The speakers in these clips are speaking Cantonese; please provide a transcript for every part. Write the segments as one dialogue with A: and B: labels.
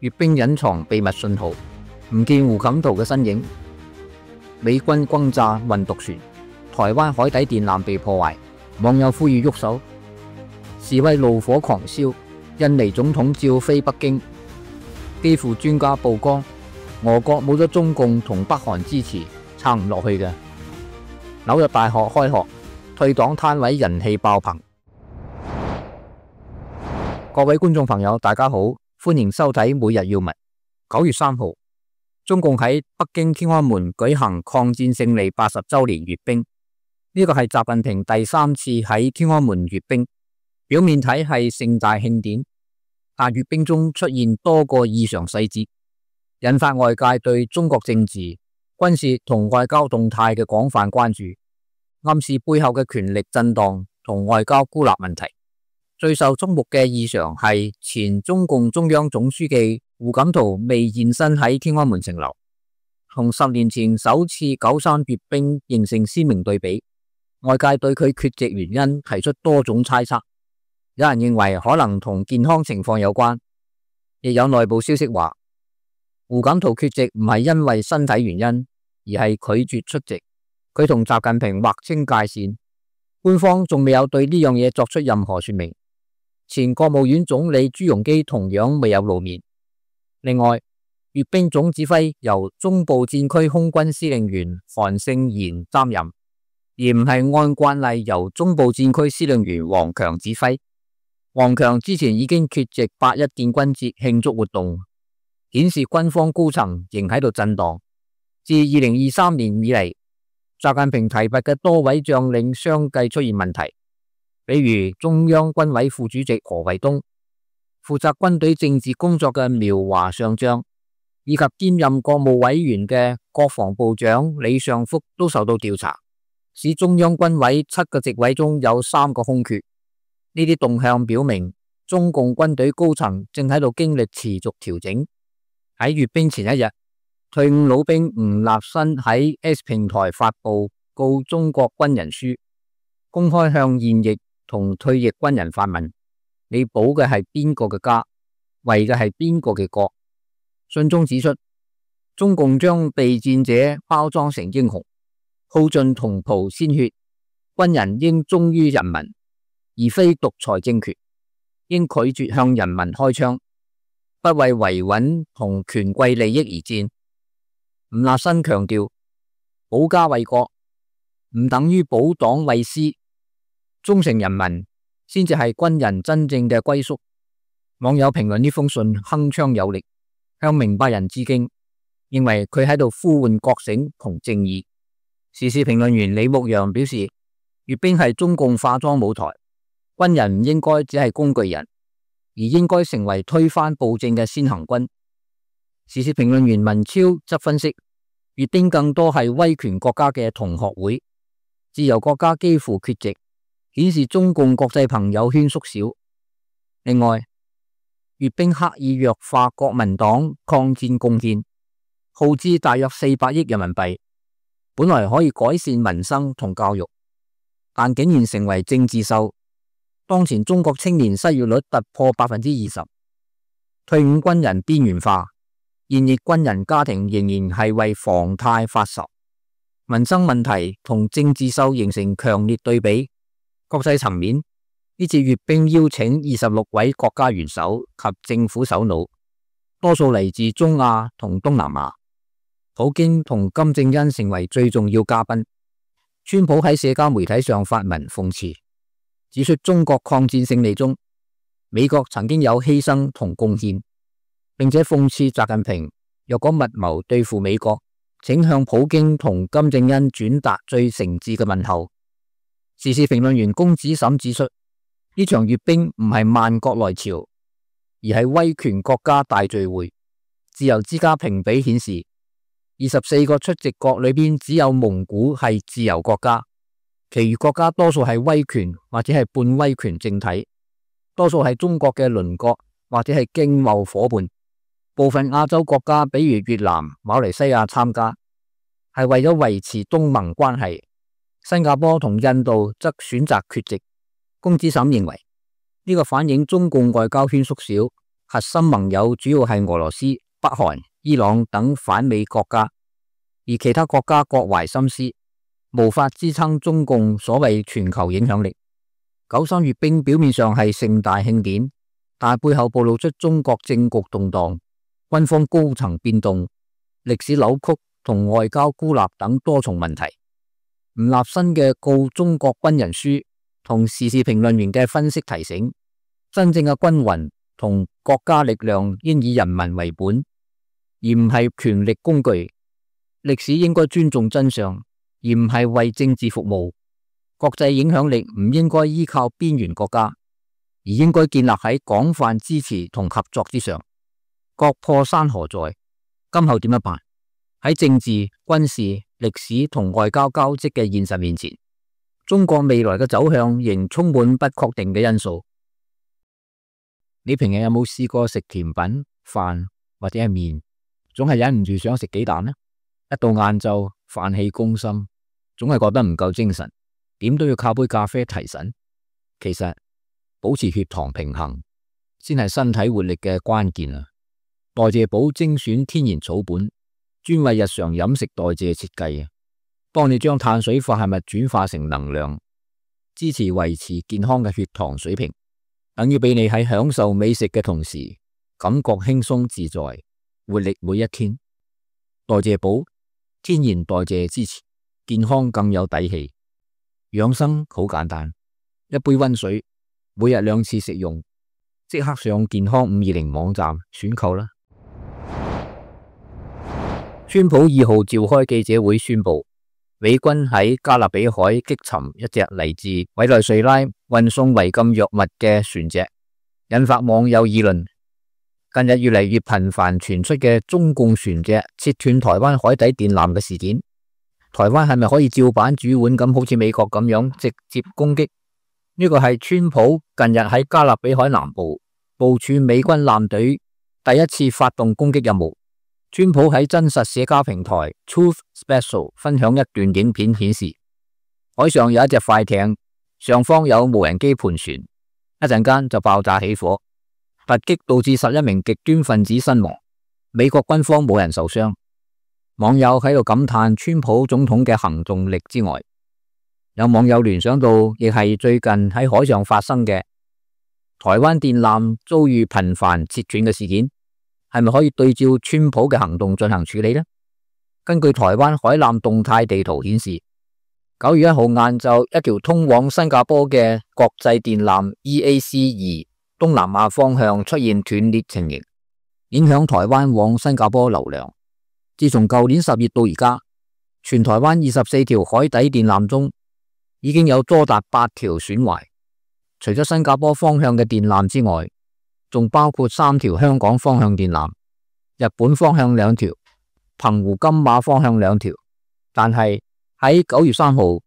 A: 閱兵隱藏秘密信號，唔見胡錦濤嘅身影。美軍轟炸運毒船，台灣海底電纜被破壞，網友呼籲喐手。示威怒火狂燒，印尼總統照飛北京。基輔專家曝光，俄國冇咗中共同北韓支持，撐唔落去嘅。紐約大學開學，退黨攤位人氣爆棚。各位觀眾朋友，大家好，歡迎收睇每日要聞。9月3號，中共喺北京天安門舉行抗戰勝利80週年閱兵，呢個係習近平第3次喺天安門閱兵。表面睇係盛大慶典，但閱兵中出現多個異常細節，引發外界對中國政治、軍事同外交動態嘅廣泛關注，暗示背後嘅權力震盪同外交孤立問題。最受矚目嘅異常係前中共中央總書記胡錦濤未現身喺天安門城樓，同10年前首次9·3閱兵形成鮮明對比。外界對佢缺席原因提出多種猜測。有人認為可能同健康情況有關，亦有內部消息話胡錦濤缺席唔係因為身體原因，而係拒絕出席。佢同習近平劃清界線，官方仲未有對呢樣嘢作出任何說明。前國務院總理朱鎔基同樣未有露面。另外，閱兵總指揮由中部戰區空軍司令員韓勝賢擔任，而唔係按慣例由中部戰區司令員王強指揮。王強之前已經缺席8·1建軍節慶祝活動，顯示軍方高層仍喺度震盪。自2023年以嚟，習近平提拔嘅多位將領相繼出現問題，比如中央軍委副主席何衛東、負責軍隊政治工作嘅苗華上將，以及兼任國務委員嘅國防部長李尚福都受到調查，使中央軍委7個席位中有3個空缺。呢啲動向表明，中共軍隊高層正喺度經歷持續調整。喺閱兵前一日，退伍老兵吳立新喺 X 平台發布告中國軍人書，公開向現役同退役軍人發問：你保嘅係邊個嘅家，為嘅係邊個嘅國？信中指出，中共將備戰者包裝成英雄，耗盡同袍鮮血，軍人應忠於人民，而非獨裁政權，應拒絕向人民開槍，不為維穩同權貴利益而戰。吳立新強調，保家衛國唔等於保黨衛師，忠誠人民先至係軍人真正嘅歸宿。網友評論呢封信鏗鏘有力，向明白人致敬，認為佢喺度呼喚覺醒同正義。時事評論員李牧陽表示，閱兵係中共化妝舞台，軍人唔應該只係工具人，而應該成為推翻暴政嘅先行軍。時事評論員文超則分析，閱兵更多係威權國家嘅同學會，自由國家幾乎缺席，顯示中共國際朋友圈縮小。另外，閱兵刻意弱化國民黨抗戰貢獻，耗資大約400億人民幣，本來可以改善民生同教育，但竟然成為政治秀。當前中國青年失業率突破20%，退伍軍人邊緣化，現役軍人家庭仍然係為房貸發愁，民生問題同政治秀形成強烈對比。國際層面，呢次閱兵邀請26位國家元首及政府首腦，多數嚟自中亞同東南亞。普京同金正恩成為最重要嘉賓。川普喺社交媒體上發文諷刺，指出中國抗戰勝利中，美國曾經有犧牲同貢獻，並且諷刺習近平若果密謀對付美國，請向普京同金正恩轉達最誠摯嘅問候。時事評論員龔子審指出，呢場閱兵唔係萬國來朝，而係威權國家大聚會。自由之家評比顯示，24個出席國裏邊只有蒙古係自由國家，其餘國家多數係威權或者係半威權政體，多數係中國嘅鄰國或者係經貿夥伴。部分亞洲國家比如越南、馬來西亞參加，係為咗維持東盟關係。新加坡同印度則選擇缺席。龔子審認為，呢個反映中共外交圈縮小，核心盟友主要係俄羅斯、北韓、伊朗等反美國家，而其他國家各懷心思，無法支撐中共所謂全球影響力。93閱兵表面上係盛大慶典，但背後暴露出中國政局動盪、軍方高層變動、歷史扭曲同外交孤立等多重問題。吳立新嘅告中國軍人書同時事評論員嘅分析提醒，真正嘅軍魂同國家力量應以人民為本，而唔係權力工具。歷史應該尊重真相，而唔係為政治服務。國際影響力唔應該依靠邊緣國家，而應該建立喺廣泛支持同合作之上。國破山河在，今後點樣辦？喺政治、軍事、歷史同外交交織嘅現實面前，中國未來嘅走向仍充滿不確定嘅因素。你平日有冇試過食甜品、飯或者係麵，總係忍唔住想食幾啖呢？一到晏晝，飯氣攻心，總係覺得唔夠精神，點都要靠杯咖啡提神。其實保持血糖平衡先係身體活力嘅關鍵啊！代謝寶精選天然草本，專為日常飲食代謝設計，幫你將碳水化合物轉化成能量，支持維持健康嘅血糖水平，等於俾你喺享受美食嘅同時，感覺輕鬆自在，活力每一天。代謝寶天然代謝支持，健康更有底氣。養生好簡單，一杯溫水，每日2次食用，即刻上健康520網站選購啦。川普2號召開記者會宣布，美軍喺加勒比海擊沉一隻嚟自委內瑞拉運送違禁藥物嘅船隻，引發網友議論。近日越嚟越頻繁傳出嘅中共船隻切斷台灣海底電纜嘅事件，台灣係咪可以照板煮碗咁，好似美國咁樣直接攻擊？呢個係川普近日喺加勒比海南部部署美軍艦隊第一次發動攻擊任務。川普喺真實社交平台 Truth Special 分享一段影片，顯示海上有一隻快艇，上方有無人機盤旋，一陣間就爆炸起火，突擊導致11名極端分子身亡，美國軍方冇人受傷。網友喺度感嘆川普總統嘅行動力之外，有網友聯想到亦係最近喺海上發生嘅台灣電纜遭遇頻繁切斷嘅事件，係咪可以對照川普嘅行動進行處理呢？根據台灣海纜動態地圖顯示，9月1號晏晝，一條通往新加坡嘅國際電纜 EAC2 東南亞方向出現斷裂情形，影響台灣往新加坡流量。自從舊年10月到而家，全台灣24條海底電纜中，已經有多達8條損壞。除咗新加坡方向嘅電纜之外，仲包括3條香港方向電纜、日本方向2條、澎湖金馬方向2條。但係喺9月3號，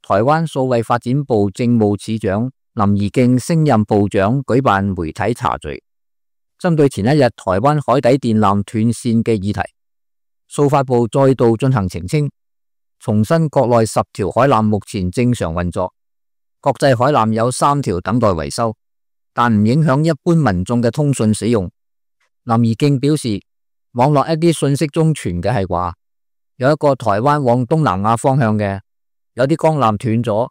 A: 台灣數位發展部政務次長林宜敬升任部長舉辦媒體茶敘，針對前一日台灣海底電纜斷線嘅議題，數發部再度進行澄清，重申國內10條海纜目前正常運作，國際海纜有3條等待維修，但唔影響一般民眾嘅通訊使用。林宜敬表示，網絡一啲信息中傳嘅係話，有一個台灣往東南亞方向嘅有啲光纜斷咗，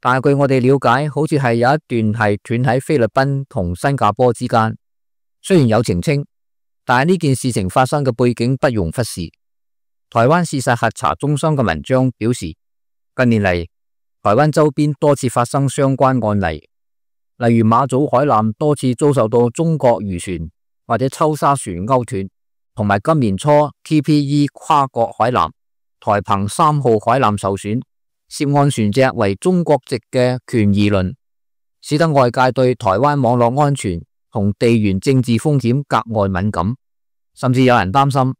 A: 但係據我哋了解，好似係有一段係斷喺菲律賓同新加坡之間。雖然有澄清，但係呢件事情發生嘅背景不容忽視。台灣事實核查中心嘅文章表示，近年嚟台灣周邊多次發生相關案例，例如馬祖海纜多次遭受到中國漁船或者抽沙船勾斷，同埋今年初 TPE 跨國海纜台澎3號海纜受損，涉案船隻為中國籍嘅權宜輪，使得外界對台灣網絡安全同地緣政治風險格外敏感，甚至有人擔心，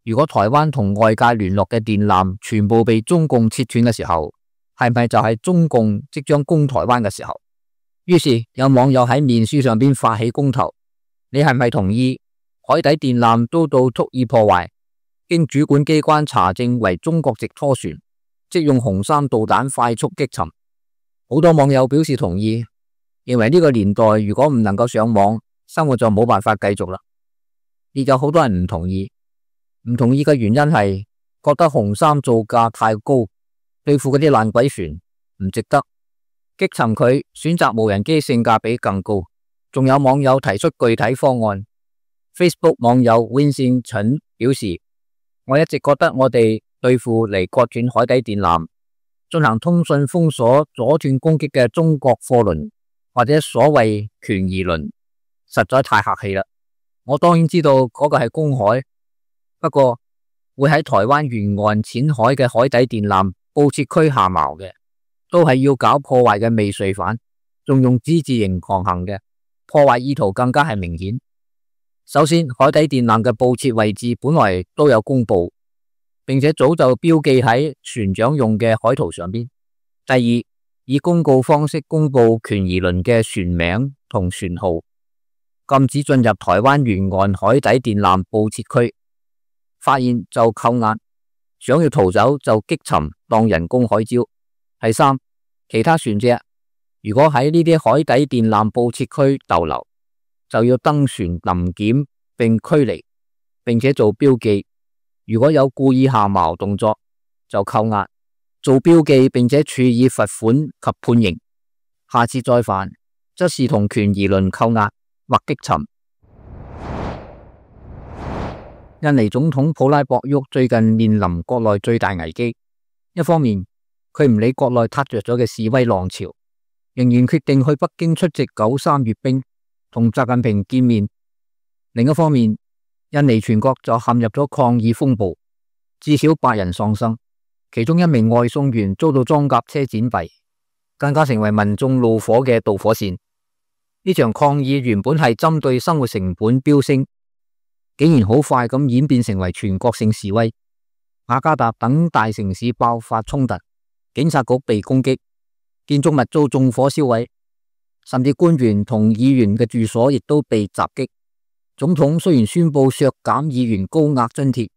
A: 如果台灣同外界聯絡嘅電纜全部被中共切斷嘅時候，係咪就係中共即將攻台灣嘅時候？於是有網友喺面書上邊發起公投，你係咪同意海底電纜遭到蓄意破壞，經主管機關查證為中國籍拖船，即用紅山導彈快速擊沉？好多網友表示同意，認為呢個年代如果唔能夠上網，生活就冇辦法繼續啦。亦有好多人唔同意嘅原因係覺得紅衫造價太高，對付嗰啲爛鬼船唔值得，擊沉佢選擇無人機性價比更高。仲有網友提出具體方案。Facebook 網友 Vincent 陳表示，我一直覺得我哋對付嚟割斷海底電纜、進行通訊封鎖、阻斷攻擊嘅中國貨輪或者所謂權宜輪，實在太客氣啦。我當然知道嗰個係公海，不過會喺台灣沿岸淺海嘅海底電纜布設區下錨嘅，都係要搞破壞嘅未遂犯，仲用之字形狂行嘅，破壞意圖更加係明顯。首先，海底電纜嘅布設位置本來都有公布，並且早就標記喺船長用嘅海圖上邊。第二，以公告方式公布權宜輪嘅船名同船號，禁止進入台灣沿岸海底電纜布設區，發現就扣押，想要逃走就擊沉當人工海礁。第三，其他船隻如果喺呢啲海底電纜布設區逗留，就要登船臨檢並驅離，並且做標記。如果有故意下錨動作，就扣押、做標記，並且處以罰款及判刑。下次再犯，則視同權宜輪扣押或擊沉。印尼總統普拉博沃最近面臨國內最大危機，一方面佢唔理國內撻着咗嘅示威浪潮，仍然決定去北京出席9·3閱兵，同習近平見面。另一方面，印尼全國就陷入咗抗議風暴，至少8人喪生，其中一名外送員遭到裝甲車剪斃，更加成為民眾怒火嘅導火線。呢場抗議原本係針對生活成本飆升，竟然好快咁演變成為全國性示威。雅加達等大城市爆發衝突，警察局被攻擊，建築物遭縱火燒毀，甚至官員同議員嘅住所亦都被襲擊。總統雖然宣布削減議員高額津貼，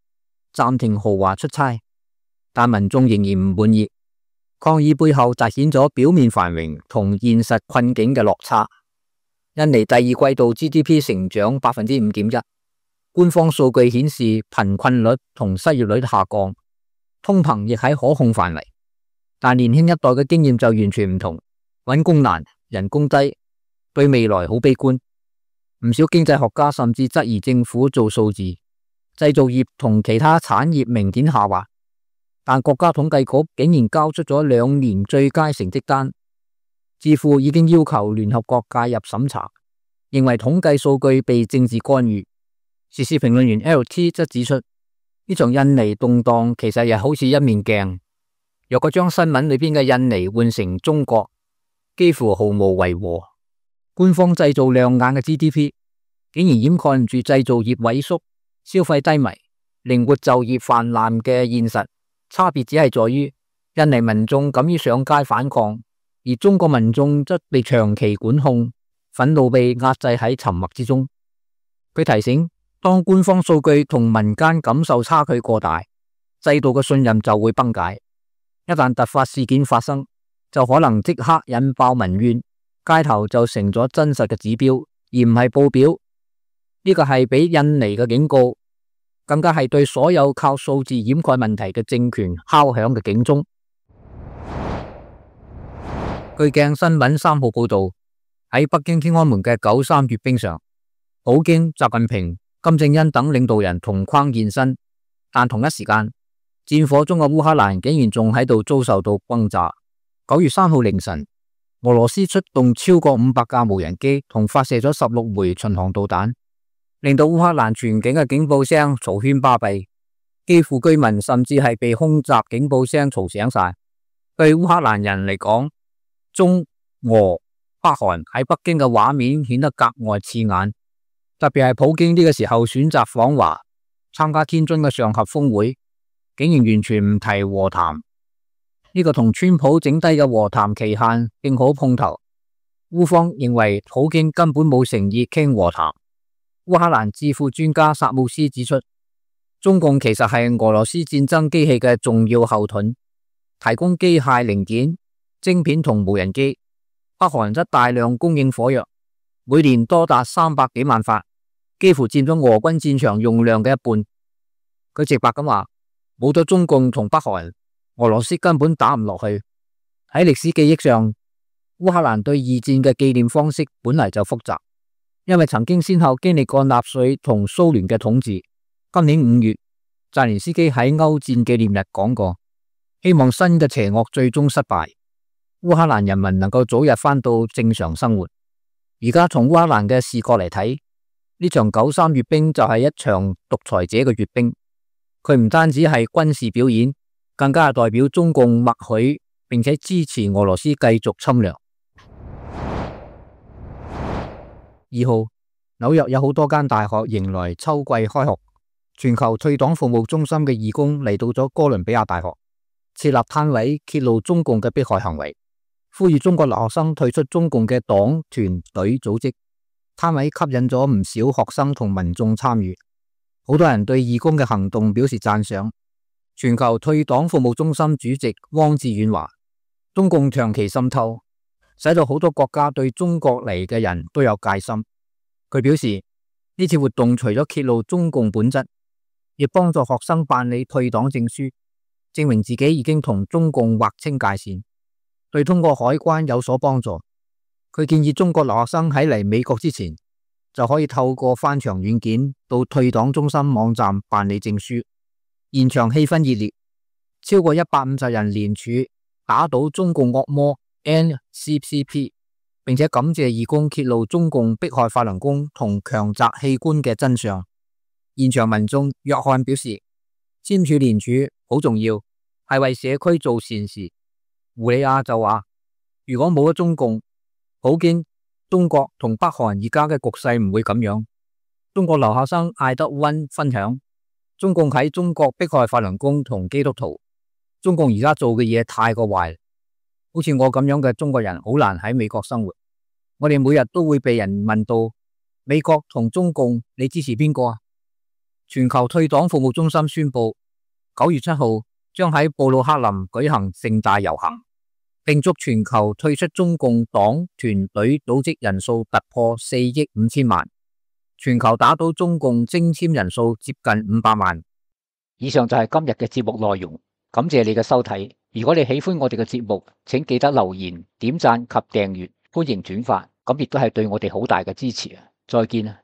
A: 暫停豪華出差，但民眾仍然唔滿意。抗議背後凸顯咗表面繁榮同現實困境嘅落差。印尼第二季度 GDP 成長 5.1%， 官方數據顯示貧困率同失業率下降，通膨亦喺可控範圍。但年輕一代嘅經驗就完全唔同，揾工難，人工低，對未來好悲觀。唔少經濟學家甚至質疑政府做數字，製造業同其他產業明顯下滑，但國家統計局竟然交出咗2年最佳成績單，智庫已經要求聯合國介入審查，認為統計數據被政治干預。時事評論員 LT 則指出，呢場印尼動盪其實又好似一面鏡，若果將新聞裏邊嘅印尼換成中國，幾乎毫無違和。官方製造亮眼嘅 GDP， 竟然掩蓋唔住製造業萎縮、消費低迷、靈活就業泛濫嘅現實。差別只係在於印尼民眾敢於上街反抗，而中國民眾則被長期管控，憤怒被壓制喺沉默之中。佢提醒，當官方數據同民間感受差距過大，制度嘅信任就會崩解。一旦突發事件發生，就可能即刻引爆民怨，街頭就成咗真實嘅指標，而唔係報表。呢個係俾印尼嘅警告，更加係對所有靠數字掩蓋問題嘅政權敲響嘅警鐘。據鏡新聞3號報道，喺北京天安門嘅9·3閱兵上，普京、習近平、金正恩等領導人同框現身，但同一時間，戰火中嘅烏克蘭竟然仲喺度遭受到轟炸。9月3號凌晨，俄羅斯出動超過500架無人機同發射咗16枚巡航導彈，令到烏克蘭全境嘅警報聲嘈喧巴閉，基輔居民甚至係被空襲警報聲嘈醒晒。對烏克蘭人嚟講，中、俄、北韓喺北京嘅畫面顯得格外刺眼，特別係普京呢個時候選擇訪華參加天津嘅上合峰會，竟然完全唔提和談。呢個同川普整低嘅和談期限正好碰頭。烏方認為普京根本冇誠意傾和談。烏克蘭智庫專家薩姆斯指出，中共其實係俄羅斯戰爭機器嘅重要後盾，提供機械零件、晶片同無人機。北韓則大量供應火藥，每年多達300幾萬發，幾乎佔咗俄軍戰場用量嘅一半。佢直白咁話，冇咗中共同北韓，俄羅斯根本打唔落去。喺歷史記憶上，烏克蘭對二戰嘅紀念方式本嚟就複雜，因為曾經先後經歷過納粹同蘇聯嘅統治。今年5月，澤連斯基喺歐戰紀念日講過，希望新嘅邪惡最終失敗，烏克蘭人民能夠早日返到正常生活。而家從烏克蘭嘅視角嚟睇，呢場9·3閱兵就係一場獨裁者嘅閱兵。佢唔單止係軍事表演，更加係代表中共默許並且支持俄羅斯繼續侵略。2號，紐約有好多間大學迎來秋季開學，全球退黨服務中心嘅義工嚟到咗哥倫比亞大學，設立攤位揭露中共嘅迫害行為，呼籲中國留學生退出中共嘅黨團隊組織。攤位吸引咗唔少學生同民眾參與，好多人對義工嘅行動表示讚賞。全球退黨服務中心主席汪志遠話，中共長期滲透，使到好多國家對中國嚟嘅人都有戒心。佢表示，呢次活動除咗揭露中共本質，亦幫助學生辦理退黨證書，證明自己已經同中共劃清界線，對通過海關有所幫助。佢建議中國留學生喺嚟美國之前，就可以透過翻牆軟件到退黨中心網站辦理證書。現場氣氛熱烈，超過150人聯署打倒中共惡魔 NCCP， 並且感謝義工揭露中共迫害法輪功同強摘器官嘅真相。現場民眾約翰表示，簽署聯署好重要，係為社區做善事。胡里亞就話，如果冇咗中共，普京、中國同北韓而家嘅局勢唔會咁樣。中國留學生艾德溫分享，中共喺中國迫害法輪功同基督徒，中共而家做嘅嘢太過壞，好似我咁樣嘅中國人好難喺美國生活。我哋每日都會被人問到美國同中共，你支持邊個啊？全球退黨服務中心宣布，9月7號將喺布魯克林舉行盛大遊行，並祝全球退出中共黨團隊組織人數突破4億5千萬，全球打倒中共徵簽人數接近500萬。以上就係今日嘅節目內容，感謝你嘅收睇。如果你喜歡我哋嘅節目，請記得留言、點讚及訂閱，歡迎轉發，咁亦都係對我哋好大嘅支持啊！再見啊！